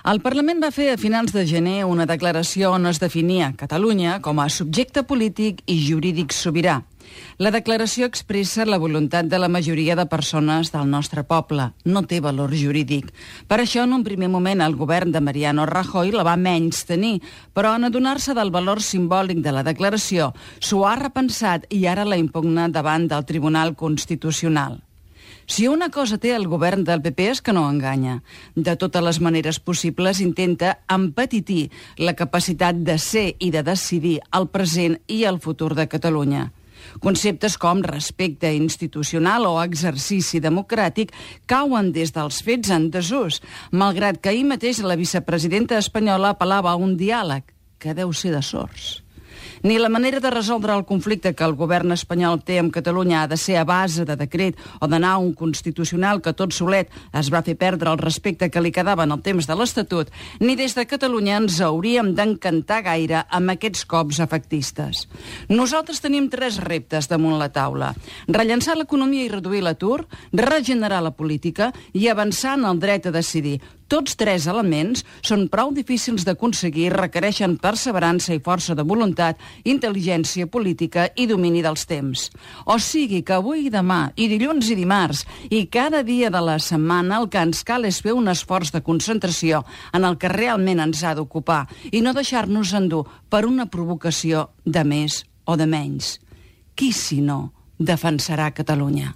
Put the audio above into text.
El Parlament va fer a finals de gener una declaració on es definia Catalunya com a subjecte polític i jurídic sobirà. La declaració expressa la voluntat de la majoria de persones del nostre poble. No té valor jurídic. Per això, en un primer moment, el govern de Mariano Rajoy la va menystenir, però en adonar-se del valor simbòlic de la declaració, s'ho ha repensat i ara la impugna davant del Tribunal Constitucional. Si una cosa té el govern del PP és que no enganya. De totes les maneres possibles intenta empetitir la capacitat de ser i de decidir el present i el futur de Catalunya. Conceptes com respecte institucional o exercici democràtic cauen des dels fets en desús, malgrat que ahir mateix la vicepresidenta espanyola apel·lava a un diàleg, que deu ser de sords. Ni la manera de resoldre el conflicte que el govern espanyol té amb Catalunya ha de ser a base de decret o d'anar a un constitucional que tot solet es va fer perdre el respecte que li quedava en el temps de l'Estatut, ni des de Catalunya ens hauríem d'encantar gaire amb aquests cops efectistes. Nosaltres tenim 3 reptes damunt la taula: rellançar l'economia i reduir l'atur, regenerar la política i avançar en el dret a decidir. Tots 3 elements són prou difícils d'aconseguir i requereixen perseverança i força de voluntat, intel·ligència política i domini dels temps. O sigui que avui i demà, i dilluns i dimarts, i cada dia de la setmana el que ens cal és fer un esforç de concentració en el que realment ens ha d'ocupar i no deixar-nos endur per una provocació de més o de menys. Qui, si no, defensarà Catalunya?